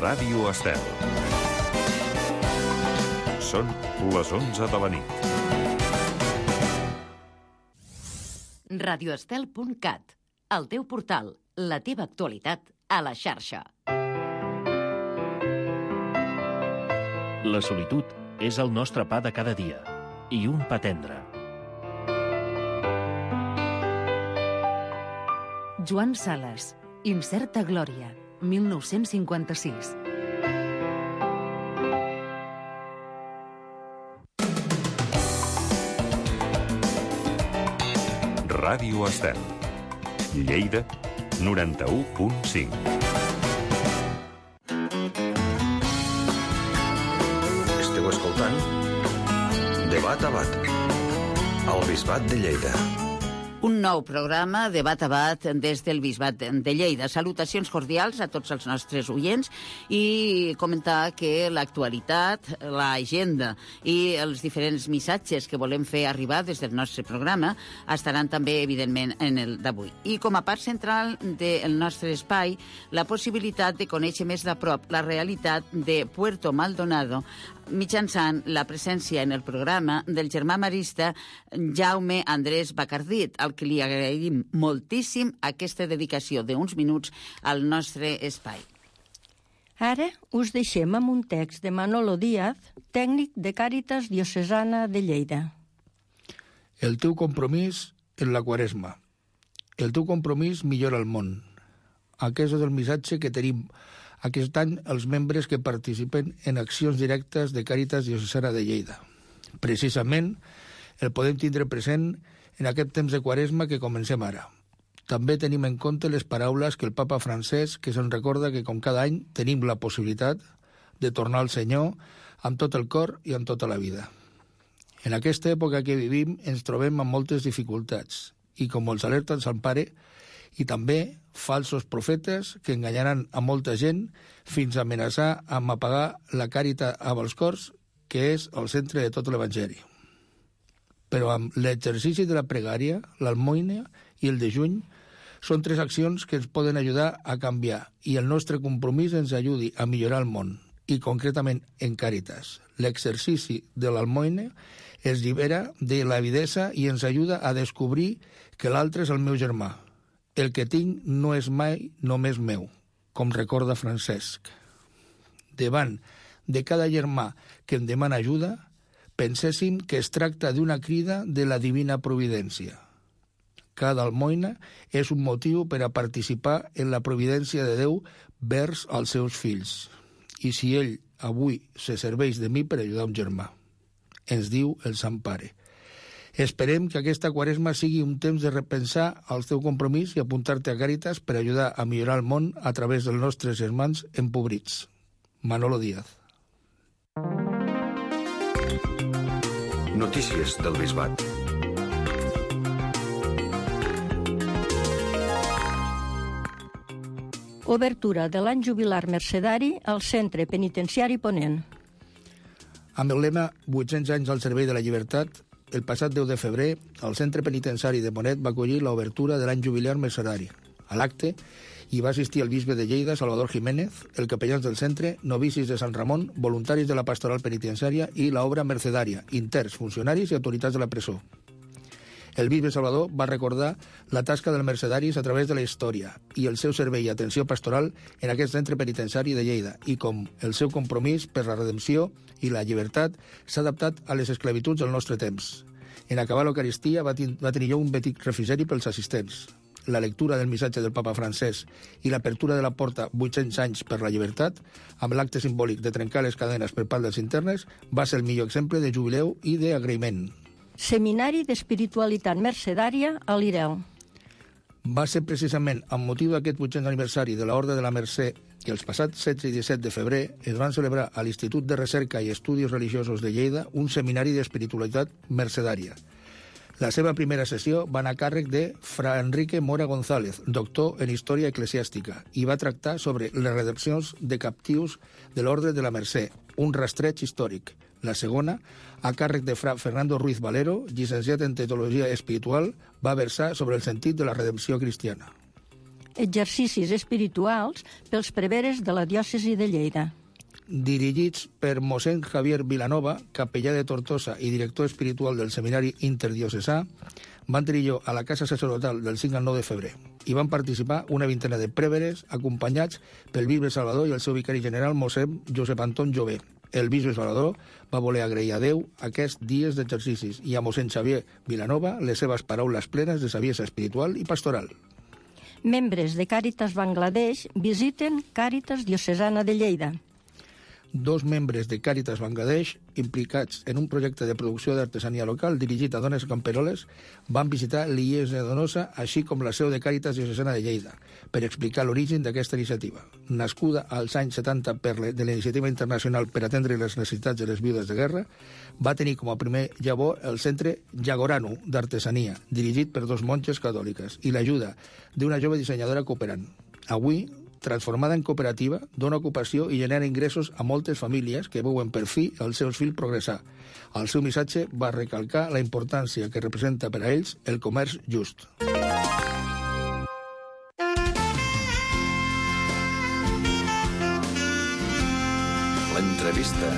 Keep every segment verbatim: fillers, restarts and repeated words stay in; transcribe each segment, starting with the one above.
Ràdio Estel. Són les onze de la nit. radioestel punt cat, el teu portal, la teva actualitat a la xarxa. La solitud és el nostre pa de cada dia, i un pa tendre. Joan Sales, Incerta glòria, mil nou-cents cinquanta-sis. Ràdio Estel. Lleida, noranta-u punt cinc. Esteu escoltant Debat a Bat, al Bisbat de Lleida. Un nou programa, Debat a Bat, des del Bisbat de Lleida. Salutacions cordials a tots els nostres oients i comentar que l'actualitat, l'agenda i els diferents missatges que volem fer arribar des del nostre programa estaran també, evidentment, en el d'avui. I com a part central del nostre espai, la possibilitat de conèixer més de prop la realitat de Puerto Maldonado mitjançant la presència en el programa del germà marista Jaume Andrés Bacardit, al que li agraïm moltíssim aquesta dedicació d'uns minuts al nostre espai. Ara us deixem amb un text de Manolo Díaz, tècnic de Càritas Diocesana de Lleida. El teu compromís en la Quaresma. El teu compromís millora el món. Aquest és el missatge que tenim aquest any els membres que participen en accions directes de Càritas Diocesana de Lleida. Precisament el podem tindre present en aquest temps de Quaresma que comencem ara. També tenim en compte les paraules que el papa Francesc, que se'n recorda que com cada any tenim la possibilitat de tornar al Senyor amb tot el cor i amb tota la vida. En aquesta època que vivim ens trobem amb moltes dificultats i com els alerta el Sant Pare, i també falsos profetes que enganyaran a molta gent fins a amenaçar amb apagar la càrita amb els cors, que és el centre de tot l'Evangeli. Però amb l'exercici de la pregària, l'almoina i el dejuny són tres accions que ens poden ajudar a canviar i el nostre compromís ens ajudi a millorar el món, i concretament en Càritas. L'exercici de l'almoina ens llibera de l'avidesa i ens ajuda a descobrir que l'altre és el meu germà. El que tinc no és mai només meu, com recorda Francesc. Davant de cada germà que em demana ajuda, penséssim que es tracta d'una crida de la divina providència. Cada almoina és un motiu per a participar en la providència de Déu vers als seus fills. I si ell avui se serveix de mi per ajudar un germà, ens diu el Sant Pare. Esperem que aquesta Quaresma sigui un temps de repensar el teu compromís i apuntar-te a Càritas per ajudar a millorar el món a través dels nostres germans empobrits. Manolo Díaz. Notícies del Bisbat. Obertura de l'any jubilar mercedari al Centre Penitenciari Ponent. Amb el lema vuit-cents anys al servei de la llibertat, el passat deu de febrer, el Centre Penitenciari de Ponent va acollir l'obertura de l'any jubilar mercedari. A l'acte hi va assistir el bisbe de Lleida, Salvador Jiménez, el capellans del centre, novicis de Sant Ramon, voluntaris de la pastoral penitenciària i l'obra mercedària, interns, funcionaris i autoritats de la presó. El bisbe Salvador va recordar la tasca dels mercedaris a través de la història i el seu servei i atenció pastoral en aquest centre penitenciari de Lleida i com el seu compromís per la redempció i la llibertat s'ha adaptat a les esclavituds del nostre temps. En acabar l'Eucaristia va, va tenir lloc un petit refrigeri pels assistents. La lectura del missatge del papa Francesc i l'apertura de la porta vuit-cents anys per la llibertat, amb l'acte simbòlic de trencar les cadenes per part dels internes, va ser el millor exemple de jubileu i d'agraïment. Seminari d'Espiritualitat Mercedària a l'Ireu. Va ser precisament amb motiu d'aquest vuit-cents aniversari de l'Orde de la Mercè que els passats setze i disset de febrer es van celebrar a l'Institut de Recerca i Estudis Religiosos de Lleida un seminari d'espiritualitat mercedària. La seva primera sessió va anar a càrrec de Fra Enrique Mora González, doctor en Història Eclesiàstica, i va tractar sobre les redempcions de captius de l'Orde de la Mercè, un rastreig històric. La segona, a càrrec de Fra Fernando Ruiz Valero, llicenciat en Teologia Espiritual, va versar sobre el sentit de la redempció cristiana. exercicis espirituals pels preveres de la diòcesi de Lleida. Dirigits per mossèn Javier Vilanova, capellà de Tortosa i director espiritual del Seminari Interdiocesà, van tenir lloc a la Casa Sacerdotal del cinc al nou de febrer. Hi van participar una vintena de prèveres acompanyats pel bisbe Salvador i el seu vicari general, mossèn Josep Anton Jové. El bisbe Salvador va voler agrair a Déu aquests dies d'exercicis i a mossèn Xavier Vilanova les seves paraules plenes de saviesa espiritual i pastoral. Membres de Càritas Bangladesh visiten Càritas Diocesana de Lleida. Dos membres de Càritas Bangladesh, implicats en un projecte de producció d'artesania local dirigit a dones camperoles, van visitar l'I E S de Donosa, així com la seu de Càritas Diocesana de Lleida, per explicar l'origen d'aquesta iniciativa. Nascuda als anys setanta per de la Iniciativa Internacional per atendre les necessitats de les viudes de guerra, va tenir com a primer llavor el centre Jagorano d'artesania, dirigit per dos monges catòliques, i l'ajuda d'una jove dissenyadora cooperant. Avui, transformada en cooperativa, dona ocupació i genera ingressos a moltes famílies que veuen per fi els seus fills progressar. El seu missatge va recalcar la importància que representa per a ells el comerç just. L'entrevista.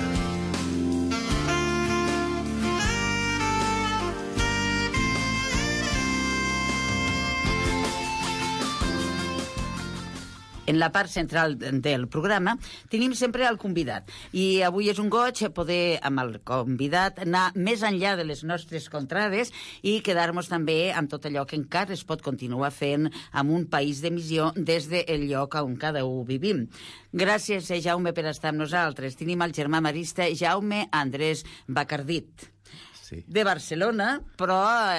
En la part central del programa tenim sempre el convidat. I avui és un goig poder, amb el convidat, anar més enllà de les nostres contrades i quedar-nos també amb tot allò que encara es pot continuar fent amb un país d'emissió des del lloc on cada un vivim. Gràcies, Jaume, per estar amb nosaltres. Tenim el germà marista Jaume Andrés Bacardit. De Barcelona, però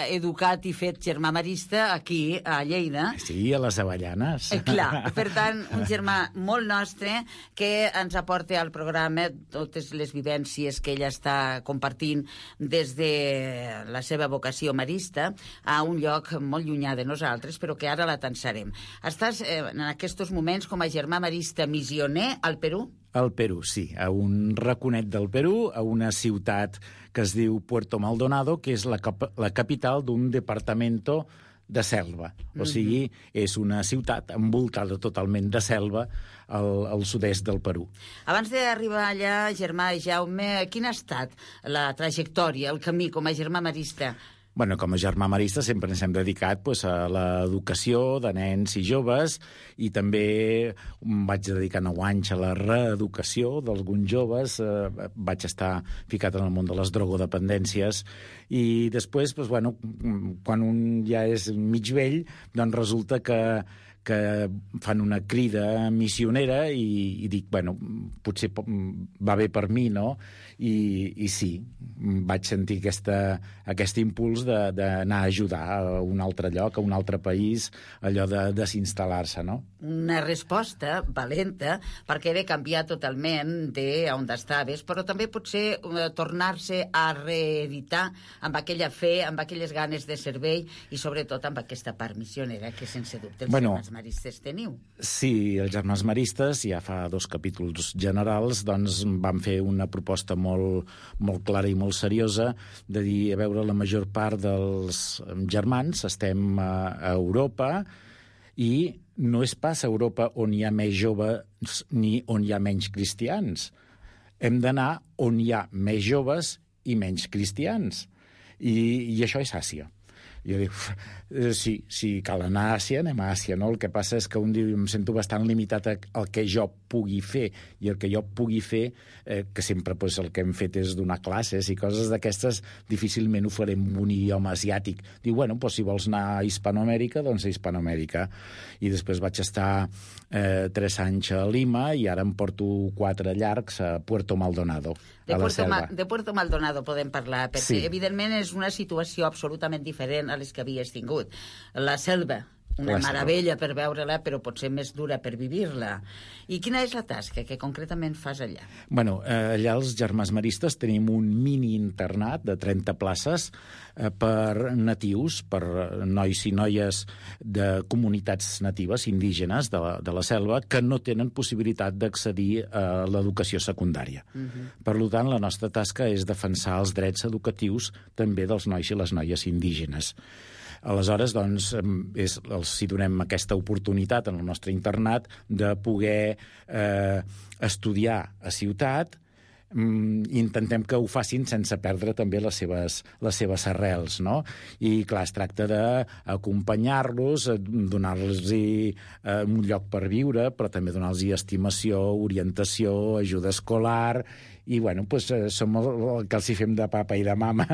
educat i fet germà marista aquí a Lleida. Sí, a les Avellanes. Eh, clar, per tant, un germà molt nostre que ens aporta al programa totes les vivències que ella està compartint des de la seva vocació marista a un lloc molt llunyà de nosaltres, però que ara la tensarem. Estàs eh, en aquests moments com a germà marista missioner al Perú? Al Perú, sí, a un raconet del Perú, a una ciutat que es diu Puerto Maldonado, que és la, cap la capital d'un departamento de selva. O sigui, és una ciutat envoltada totalment de selva al, al sud-est del Perú. Abans d'arribar allà, germà Jaume, quina ha estat la trajectòria, el camí com a germà marista? Bueno, com a germà marista sempre ens hem dedicat pues, a l'educació de nens i joves i també em vaig dedicar nou anys a la reeducació d'alguns joves. Eh, vaig estar ficat en el món de les drogodependències i després, pues, bueno, quan un ja és mig vell, doncs resulta que que fan una crida missionera i, i dic, bueno, potser va bé per mi, no? I, i sí, vaig sentir aquesta, aquest impuls d'anar a ajudar a un altre lloc, a un altre país, allò de desinstal·lar-se, no? Una resposta valenta, perquè era canviar totalment d'on estaves, però també potser eh, tornar-se a reeditar amb aquella fe, amb aquelles ganes de servei i sobretot amb aquesta part missionera que sense dubte els bueno, germans maristes teniu. Sí, els germans maristes, ja fa dos capítols generals, doncs van fer una proposta molt, molt clara i molt seriosa de dir, a veure, la major part dels germans estem a, a Europa i no és pas a Europa on hi ha més joves ni on hi ha menys cristians. Hem d'anar on hi ha més joves i menys cristians. I, i això és Àsia. Jo dic, sí, sí, cal anar a Àsia, anem a Àsia, no? El que passa és que un dia em sento bastant limitat al que jo pugui fer, i el que jo pugui fer, eh, que sempre pues, el que hem fet és donar classes i coses d'aquestes, difícilment ho farem en un idioma asiàtic. Diu, bueno, pues, si vols anar a Hispanoamèrica, doncs a Hispanoamèrica. I després vaig estar eh, tres anys a Lima i ara em porto quatre llargs a Puerto Maldonado, de a la Puerto selva. Ma de Puerto Maldonado podem parlar, perquè Sí. evidentment és una situació absolutament diferent a les que havies tingut. La selva, una La selva. meravella per veure-la, però potser més dura per vivir-la. I quina és la tasca que concretament fas allà? Bueno, eh, allà els germans maristes tenim un mini-internat de trenta places eh, per natius, per nois i noies de comunitats natives, indígenes de la, de la selva, que no tenen possibilitat d'accedir a l'educació secundària. Uh-huh. Per tant, la nostra tasca és defensar els drets educatius també dels nois i les noies indígenes. Aleshores, doncs, és, els hi donem aquesta oportunitat en el nostre internat de poder eh, estudiar a ciutat, i intentem que ho facin sense perdre també les seves, les seves arrels, no? I, clar, es tracta d'acompanyar-los, donar-los eh, un lloc per viure, però també donar-los estimació, orientació, ajuda escolar, i, bueno, doncs, som el, el que els hi fem de papa i de mama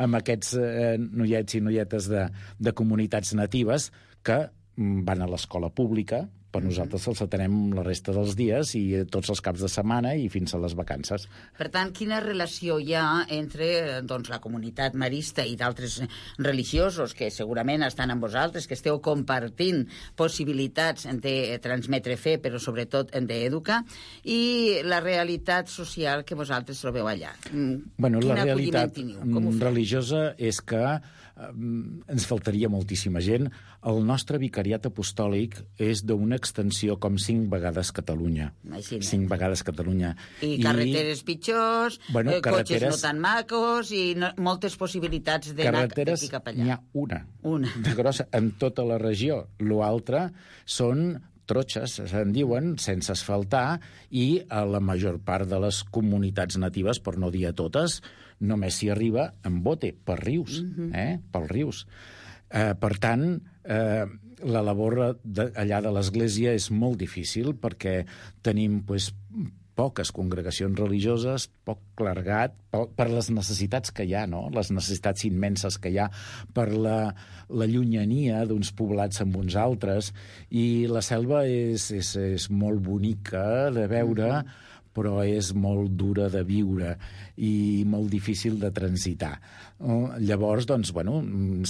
amb aquests eh, noiets i noietes de, de comunitats natives que van a l'escola pública, però nosaltres els atenem la resta dels dies i tots els caps de setmana i fins a les vacances. Per tant, quina relació hi ha entre doncs, la comunitat marista i d'altres religiosos que segurament estan amb vosaltres, que esteu compartint possibilitats de transmetre fe, però sobretot d'educar, i la realitat social que vosaltres trobeu allà? Bueno, la realitat religiosa és que eh, ens faltaria moltíssima gent. El nostre vicariat apostòlic és d'una extensió com cinc vegades Catalunya. Imagina't. Cinc vegades Catalunya. I carreteres I... pitjors, bueno, eh, carreteres... cotxes no tan macos i no, moltes possibilitats d'anar d'aquí cap allà. N'hi ha una. Una. De grossa, en tota la regió. L'altre són trotxes, se'n diuen, sense asfaltar, i a la major part de les comunitats natives, per no dir a totes, només s'hi arriba en bote, per rius, mm-hmm. eh? pels rius. Eh, per tant, eh, la labor de, allà de l'Església és molt difícil perquè tenim pues, poques congregacions religioses, poc clergat, poc, per les necessitats que hi ha, no? Les necessitats immenses que hi ha, per la, la llunyania d'uns poblats amb uns altres, i la selva és, és, és molt bonica de veure, mm-hmm. però és molt dura de viure i molt difícil de transitar. Llavors, doncs, bueno,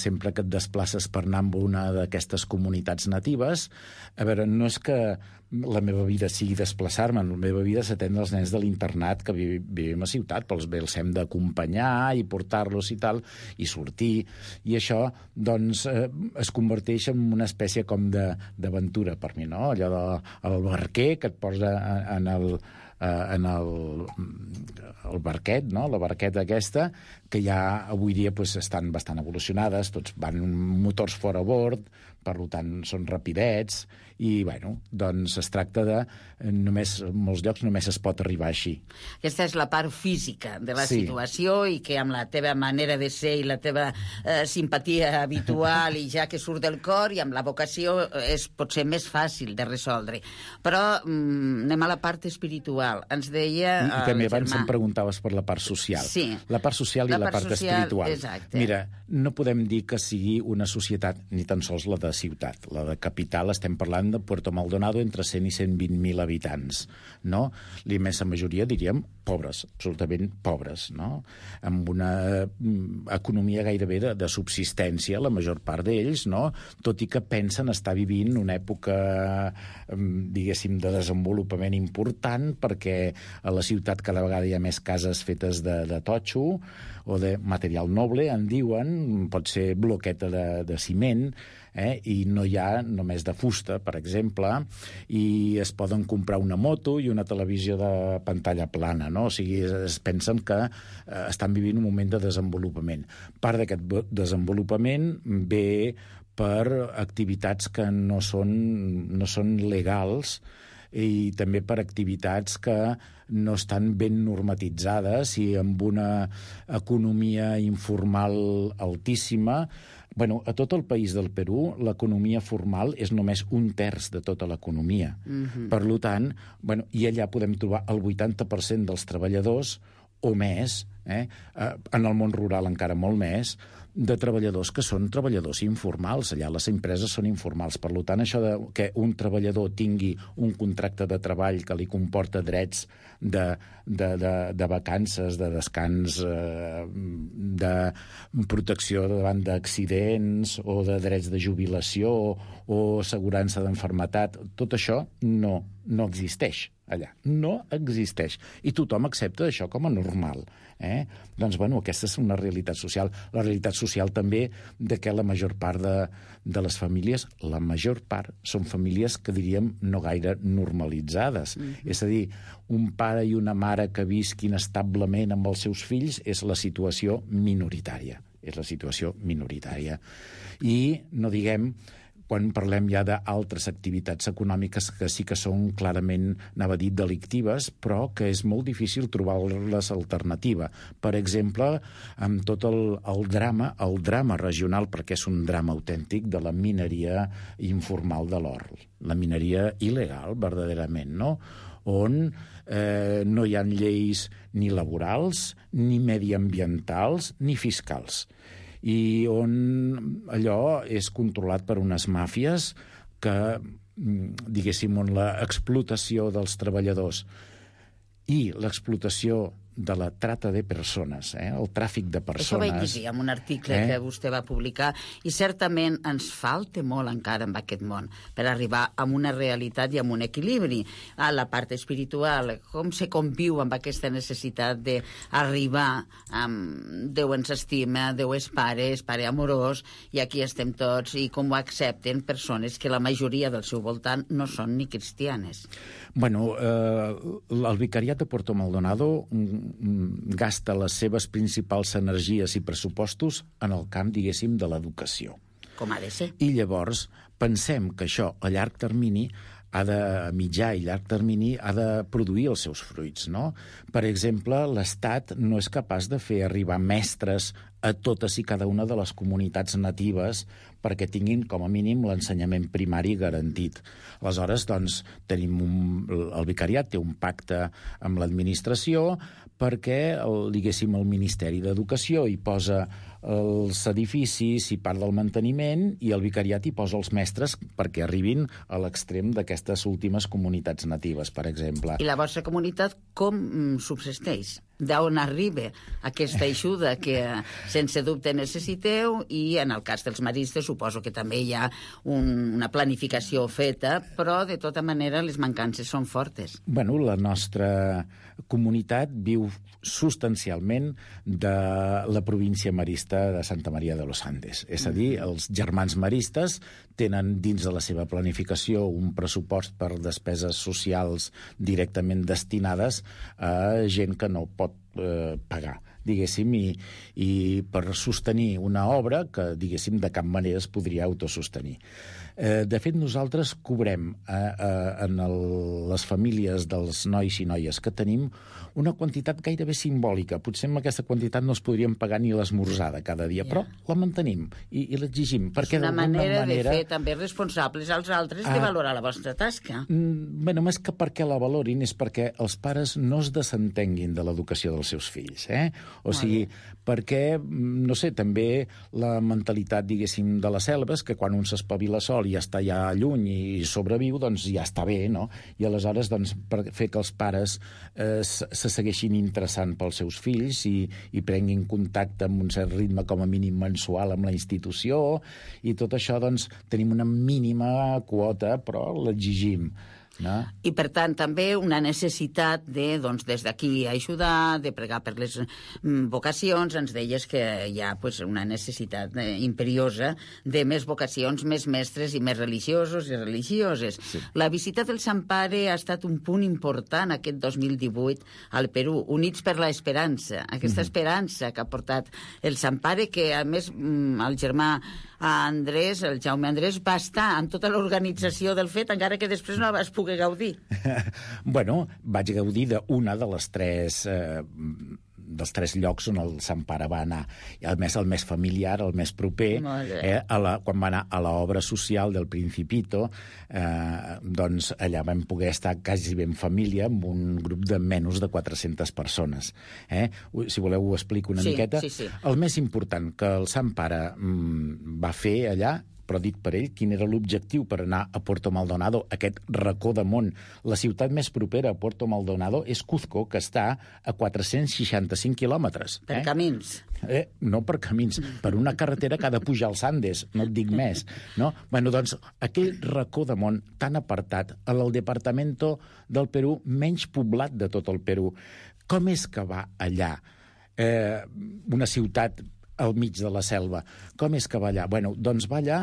sempre que et desplaces per anar a una d'aquestes comunitats natives, a veure, no és que la meva vida sigui desplaçar-me, la meva vida és atendre els nens de l'internat que vivim a ciutat, però els els hem d'acompanyar i portar-los i tal, i sortir, i això, doncs, eh, es converteix en una espècie com d'aventura per mi, no? Allò del barquer que et posa en el en el, el barquet, no? La barqueta aquesta, que ja avui dia pues, estan bastant evolucionades, tots van motors fora bord, per tant són rapidets, i bueno, doncs es tracta de només, en molts llocs només es pot arribar així. Aquesta és la part física de la sí. situació, i que amb la teva manera de ser i la teva eh, simpatia habitual i ja que surt del cor, i amb la vocació és potser més fàcil de resoldre. Però mm, anem a la part espiritual. Ens deia I, i també abans em preguntaves per la part social. Sí. La part social i la, la part, part social, espiritual. Exacte. Mira, no podem dir que sigui una societat, ni tan sols la de ciutat. La de capital estem parlant de Puerto Maldonado entre cent i cent vint mil habitants, no? L'immensa majoria, diríem, pobres, absolutament pobres, no? Amb una economia gairebé de, de subsistència, la major part d'ells, no? Tot i que pensen estar vivint una època, diguéssim, de desenvolupament important, perquè a la ciutat cada vegada hi ha més cases fetes de, de totxo o de material noble, en diuen, pot ser bloqueta de, de ciment, eh? I no hi ha només de fusta, per exemple, i es poden comprar una moto i una televisió de pantalla plana, no? O sigui, es pensen que eh, estan vivint un moment de desenvolupament. Part d'aquest desenvolupament ve per activitats que no són, no són legals, i també per activitats que no estan ben normatitzades i amb una economia informal altíssima. Bueno, a tot el país del Perú, l'economia formal és només un terç de tota l'economia. Mm-hmm. Per tant, bueno, i allà podem trobar el vuitanta per cent dels treballadors o més, eh? En el món rural encara molt més, de treballadors que són treballadors informals. Allà les empreses són informals. Per tant, això de que un treballador tingui un contracte de treball que li comporta drets de, de, de, de vacances, de descans, eh, de protecció davant d'accidents o de drets de jubilació o assegurança d'enfermetat, tot això no, no existeix allà. No existeix. I tothom accepta això com a normal. Eh? Doncs, bueno, aquesta és una realitat social. La realitat social també de que la major part de, de les famílies, la major part, són famílies que diríem no gaire normalitzades. Mm-hmm. És a dir, un pare i una mare que visquin establement amb els seus fills és la situació minoritària. és la situació minoritària. I no diguem quan parlem ja d'altres activitats econòmiques que sí que són clarament, anava a dir, delictives, però que és molt difícil trobar-les alternativa. Per exemple, amb tot el, el drama, el drama regional, perquè és un drama autèntic, de la mineria informal de l'or. La mineria il·legal, verdaderament, no? On eh, no hi ha lleis ni laborals, ni mediambientals, ni fiscals, i on allò és controlat per unes màfies que, diguéssim, on l'explotació dels treballadors i l'explotació de la trata de persones, eh? El tràfic de persones... Això vaig llegir en un article eh? que vostè va publicar, i certament ens falta molt encara en aquest món per arribar a una realitat i a un equilibri. A la part espiritual, com se conviu amb aquesta necessitat d'arribar amb Déu ens estima, Déu és pare, és pare amorós, i aquí estem tots, i com ho accepten persones que la majoria del seu voltant no són ni cristianes. Bueno, eh, el vicariat de Puerto Maldonado gasta les seves principals energies i pressupostos en el camp, diguéssim, de l'educació. Com ha de ser. I llavors pensem que això a llarg termini ha de, a mitjà i llarg termini, ha de produir els seus fruits, no? Per exemple, l'Estat no és capaç de fer arribar mestres a totes i cada una de les comunitats natives perquè tinguin, com a mínim, l'ensenyament primari garantit. Aleshores, doncs, tenim un, el vicariat té un pacte amb l'administració perquè, el, diguéssim, el Ministeri d'Educació hi posa els edificis i part del manteniment, i el vicariat hi posa els mestres perquè arribin a l'extrem d'aquestes últimes comunitats natives, per exemple. I la vostra comunitat com subsisteix? D'on arriba aquesta ajuda que sense dubte necessiteu, i en el cas dels maristes suposo que també hi ha un, una planificació feta, però de tota manera les mancances són fortes. Bueno, la nostra comunitat viu substancialment de la província marista de Santa Maria de los Andes. És a dir, els germans maristes tenen dins de la seva planificació un pressupost per despeses socials directament destinades a gent que no pot eh, pagar, diguéssim, i, i per sostenir una obra que, diguéssim, de cap manera es podria autosostenir. Eh, de fet, nosaltres cobrem eh, eh, en el, les famílies dels nois i noies que tenim una quantitat gairebé simbòlica. Potser amb aquesta quantitat no es podríem pagar ni l'esmorzada cada dia, yeah. però la mantenim i, i l'exigim. És una manera, manera de fer també responsables als altres ah, de valorar la vostra tasca. Mm, bueno, més que perquè la valorin és perquè els pares no es desentenguin de l'educació dels seus fills. Eh? O Molt sigui, bé. perquè, no sé, també la mentalitat, diguéssim, de la selva és que quan un s'espavila sol i està ja lluny i sobreviu, doncs ja està bé, no? I aleshores, doncs, per fer que els pares eh, se segueixin interessant pels seus fills i, i prenguin contacte amb un cert ritme, com a mínim mensual, amb la institució, i tot això, doncs, tenim una mínima quota, però l'exigim. No? I, per tant, també una necessitat de, doncs, des d'aquí ajudar, de pregar per les mm, vocacions. Ens deies que hi ha pues, una necessitat eh, imperiosa de més vocacions, més mestres i més religiosos i religioses. Sí. La visita del Sant Pare ha estat un punt important aquest dos mil divuit al Perú, Units per la Esperança. Aquesta mm-hmm. esperança que ha portat el Sant Pare, que, a més, mm, el germà Andrés, el Jaume Andrés, va estar en tota l'organització del fet, encara que després no vas poder gaudir. Bueno, vaig gaudir d'una de les tres... Eh, dels tres llocs on el Sant Pare va anar. I a més, el més familiar, el més proper, eh, a la, quan va anar a l'obra social del Principito, eh, doncs allà vam poder estar quasi ben família amb un grup de menys de quatre-centes persones. Eh? Si voleu ho explico una sí, miqueta. Sí, sí. El més important que el Sant Pare mm, va fer allà, però dit per ell, quin era l'objectiu per anar a Puerto Maldonado, aquest racó de món. La ciutat més propera a Puerto Maldonado és Cuzco, que està a quatre-cents seixanta-cinc quilòmetres. Per eh? camins. Eh? No per camins, per una carretera que ha de pujar als Andes, no et dic més. No? Bueno, doncs, aquell racó de món tan apartat, al departamento del Perú menys poblat de tot el Perú. Com és que va allà eh, una ciutat al mig de la selva? Com és que va allà? Bueno, doncs va allà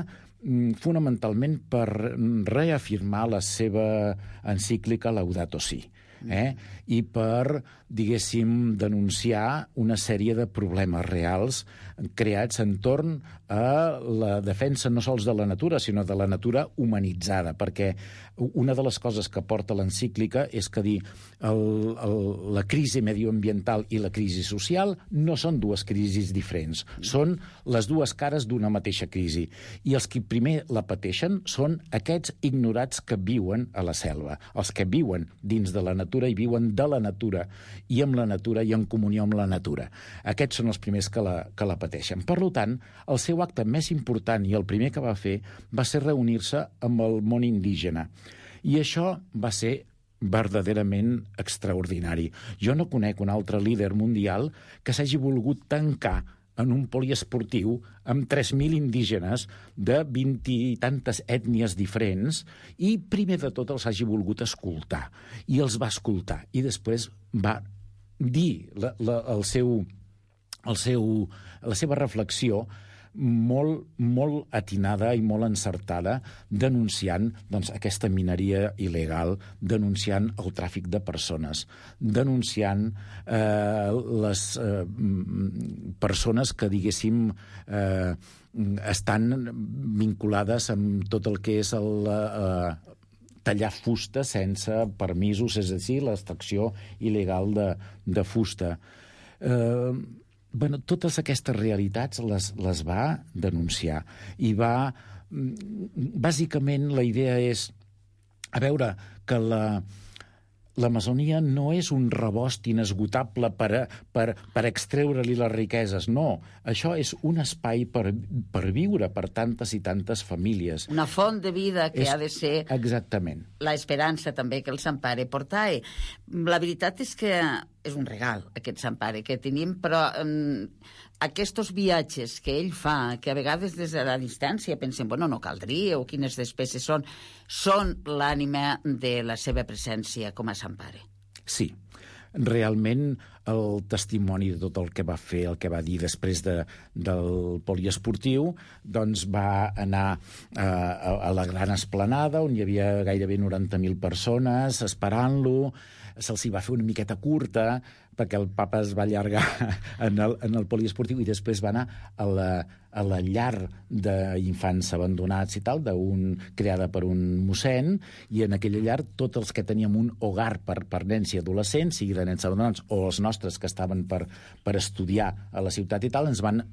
fonamentalment per reafirmar la seva encíclica Laudato Si. Eh? I per, diguéssim, denunciar una sèrie de problemes reals creats entorn a la defensa no sols de la natura, sinó de la natura humanitzada, perquè una de les coses que porta l'encíclica és que dir el, el, la crisi medioambiental i la crisi social no són dues crisis diferents, són les dues cares d'una mateixa crisi. I els que primer la pateixen són aquests ignorats que viuen a la selva, els que viuen dins de la natura i viuen de la natura, i amb la natura i en comunió amb la natura. Aquests són els primers que la, que la pateixen. Per tant, el seu acte més important i el primer que va fer va ser reunir-se amb el món indígena. I això va ser verdaderament extraordinari. Jo no conec un altre líder mundial que s'hagi volgut tancar en un poliesportiu amb tres mil indígenes de vint i tantes ètnies diferents i primer de tot els hagi volgut escoltar. I els va escoltar. I després va dir la, la, el seu, el seu, la seva reflexió molt, molt atinada i molt encertada, denunciant doncs, aquesta mineria il·legal, denunciant el tràfic de persones, denunciant eh, les eh, persones que, diguéssim, eh, estan vinculades amb tot el que és el... Eh, tallar fusta sense permisos, és a dir, l'extracció il·legal de, de fusta. Eh, bueno, totes aquestes realitats les, les va denunciar. I va... Bàsicament, la idea és... A veure, que la... L'Amazonia no és un rebost inesgotable per, a, per, per extreure-li les riqueses, no. Això és un espai per, per viure per tantes i tantes famílies. Una font de vida que és, ha de ser... Exactament. L'esperança també que el Sant Pare portava. La veritat és que és un regal, aquest Sant Pare que tenim, però um, aquests viatges que ell fa, que a vegades des de la distància pensem, bueno, no caldria, o quines despeses són, són l'ànima de la seva presència com a Sant Pare. Sí, realment el testimoni de tot el que va fer, el que va dir després de, del poliesportiu, doncs va anar a, a, a la gran esplanada, on hi havia gairebé noranta mil persones esperant-lo. Se'ls hi va fer una miqueta curta, perquè el papa es va allargar en el, en el poliesportiu i després va anar a la, a la llar d'infants abandonats i tal, d'un, creada per un mossèn, i en aquella llar tots els que teníem un hogar per, per nens i adolescents, sigui de nens abandonats o els nostres que estaven per, per estudiar a la ciutat i tal, ens van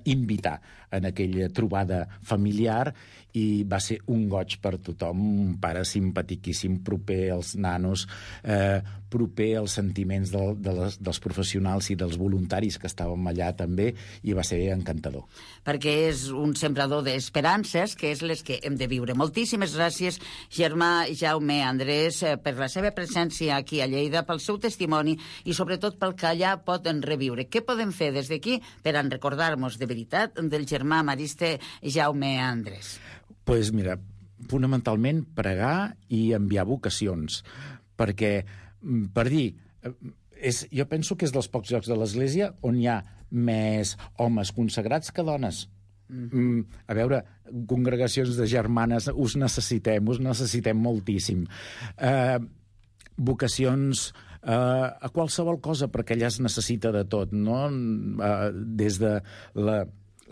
invitar en aquella trobada familiar i va ser un goig per tothom, un pare simpatiquíssim, proper als nanos, eh, proper als sentiments de, de les, dels professionals i dels voluntaris que estàvem allà també, i va ser encantador. Perquè és un sembrador d'esperances, que és les que hem de viure. Moltíssimes gràcies, germà Jaume Andrés, per la seva presència aquí a Lleida, pel seu testimoni i sobretot pel que allà poden reviure. Què podem fer des d'aquí per en recordar-nos de veritat del germà marista Jaume Andrés? Pues mira, fonamentalment pregar i enviar vocacions, perquè, per dir, és, jo penso que és dels pocs llocs de l'Església on hi ha més homes consagrats que dones. Mm, a veure, congregacions de germanes, us necessitem, us necessitem moltíssim. Eh, vocacions eh, a qualsevol cosa, perquè allà es necessita de tot, no? Eh, des de la...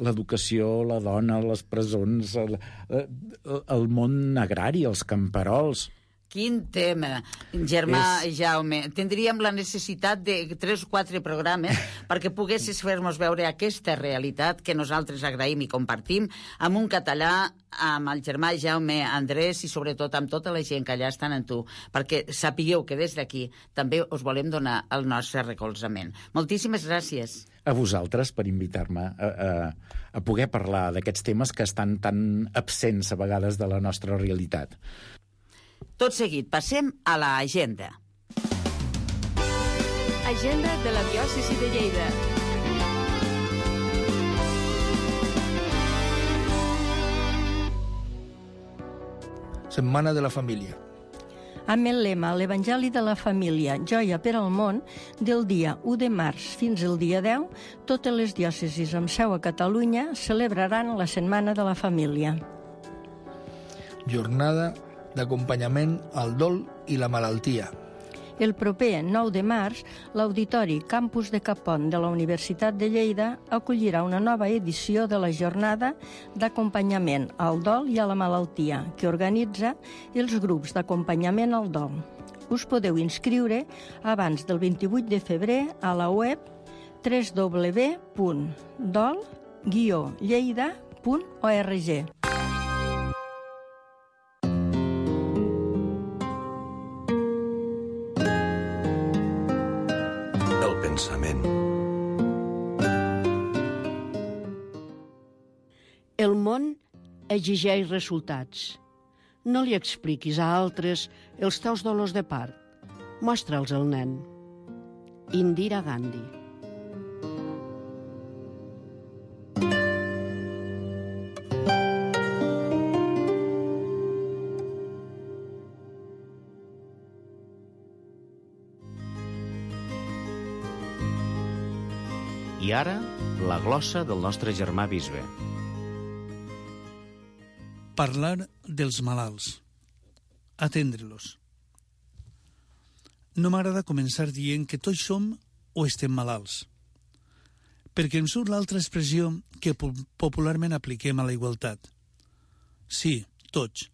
l'educació, la dona, les presons, el, el món agrari, els camperols. Quin tema, germà És... Jaume. Tindríem la necessitat de tres o quatre programes perquè poguessis fer-nos veure aquesta realitat que nosaltres agraïm i compartim amb un català, amb el germà Jaume Andrés i sobretot amb tota la gent que allà estan en tu, perquè sapigueu que des d'aquí també us volem donar el nostre recolzament. Moltíssimes gràcies. A vosaltres per invitar-me a, a, a poder parlar d'aquests temes que estan tan absents a vegades de la nostra realitat. Tot seguit, passem a l'agenda. Agenda de la diòcesi de Lleida. Setmana de la Família. Amb el lema l'Evangeli de la Família, joia per al món, del dia u de març fins al dia deu, totes les diòcesis amb seu a Catalunya celebraran la Setmana de la Família. jornada d'acompanyament al dol i la malaltia. El proper nou de març, l'Auditori Campus de Capont de la Universitat de Lleida acollirà una nova edició de la jornada d'acompanyament al dol i a la malaltia, que organitza els grups d'acompanyament al dol. Us podeu inscriure abans del vint-i-vuit de febrer a la web w w w punt dol guió lleida punt org. El pensament. El món exigeix resultats. No li expliquis a altres els teus dolors de part. Mostra'ls al nen. Indira Gandhi. I ara, la glossa del nostre germà bisbe. Parlar dels malalts. Atendre-los. No m'agrada començar dient que tots som o estem malalts, perquè em surt l'altra expressió que popularment apliquem a la igualtat. Sí, tots,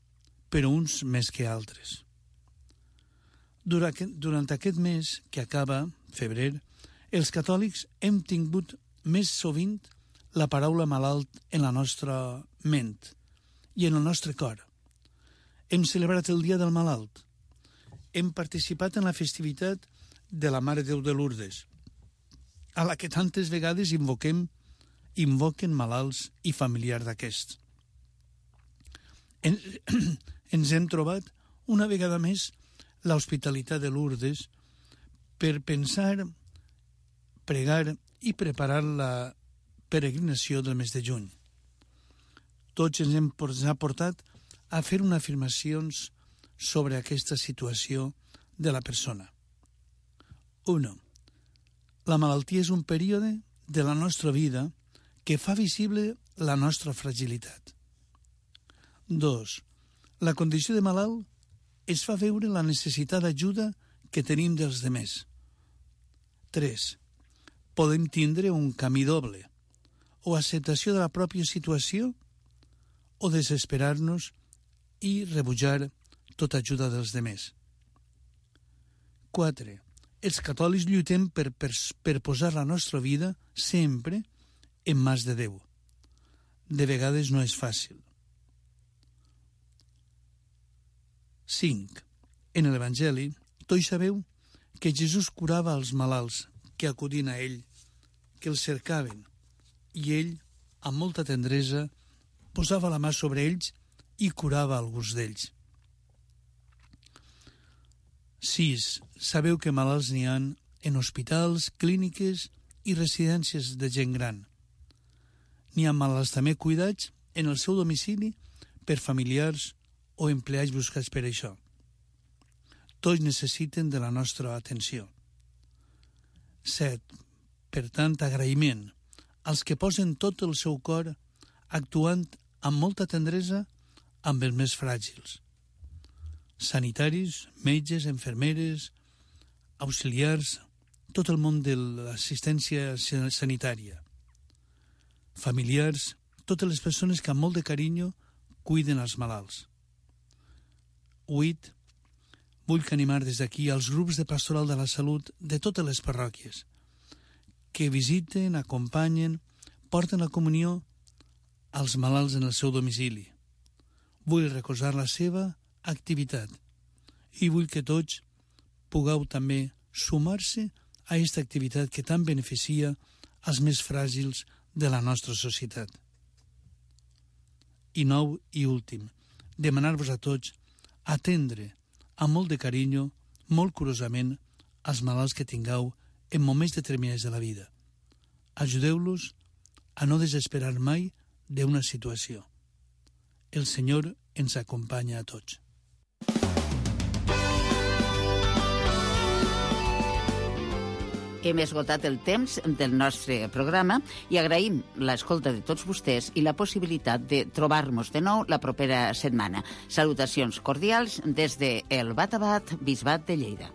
però uns més que altres. Durant aquest mes que acaba, febrer, els catòlics hem tingut més sovint la paraula malalt en la nostra ment i en el nostre cor. Hem celebrat el Dia del Malalt. Hem participat en la festivitat de la Mare de Déu de Lourdes, a la que tantes vegades invoquem, invoquen malalts i familiars d'aquests. En, ens hem trobat una vegada més l'hospitalitat de Lourdes per pensar, pregar i preparar la peregrinació del mes de juny. Tots ens hem portat a fer unes afirmacions sobre aquesta situació de la persona. Uno, la malaltia és un període de la nostra vida que fa visible la nostra fragilitat. Dos, la condició de malalt es fa veure la necessitat d'ajuda que tenim dels demés. Tres, podem tindre un camí doble, o acceptació de la pròpia situació, o desesperar-nos i rebutjar tota ajuda dels demés. Quatre, els catòlics lluitem per, per, per posar la nostra vida sempre en mans de Déu. De vegades no és fàcil. Cinc, en l'Evangeli, tots sabeu que Jesús curava els malalts que acudien a ell, que els cercaven, i ell, amb molta tendresa, posava la mà sobre ells i curava alguns d'ells. Sis, sabeu que malalts n'hi ha en hospitals, clíniques i residències de gent gran. N'hi ha malalts també cuidats en el seu domicili per familiars o empleats buscats per això. Tots necessiten de la nostra atenció. Set, per tant, agraïment als que posen tot el seu cor actuant amb molta tendresa amb els més fràgils. Sanitaris, metges, infermeres, auxiliars, tot el món de l'assistència sanitària. Familiars, totes les persones que amb molt de carinyo cuiden els malalts. Vuit, vull animar des d'aquí als grups de pastoral de la salut de totes les parròquies que visiten, acompanyen, porten la comunió als malalts en el seu domicili. Vull recolzar la seva activitat i vull que tots pugueu també sumar-se a aquesta activitat que tant beneficia als més fràgils de la nostra societat. I nou i últim, demanar-vos a tots atendre amb molt de carinyo, molt curosament, als malalts que tingueu en moments determinats de la vida. Ajudeu-los a no desesperar mai d'una situació. El Senyor ens acompanya a tots. Hem esgotat el temps del nostre programa i agraïm l'escolta de tots vostès i la possibilitat de trobar-nos de nou la propera setmana. Salutacions cordials des de el Bat a Bat, Bisbat de Lleida.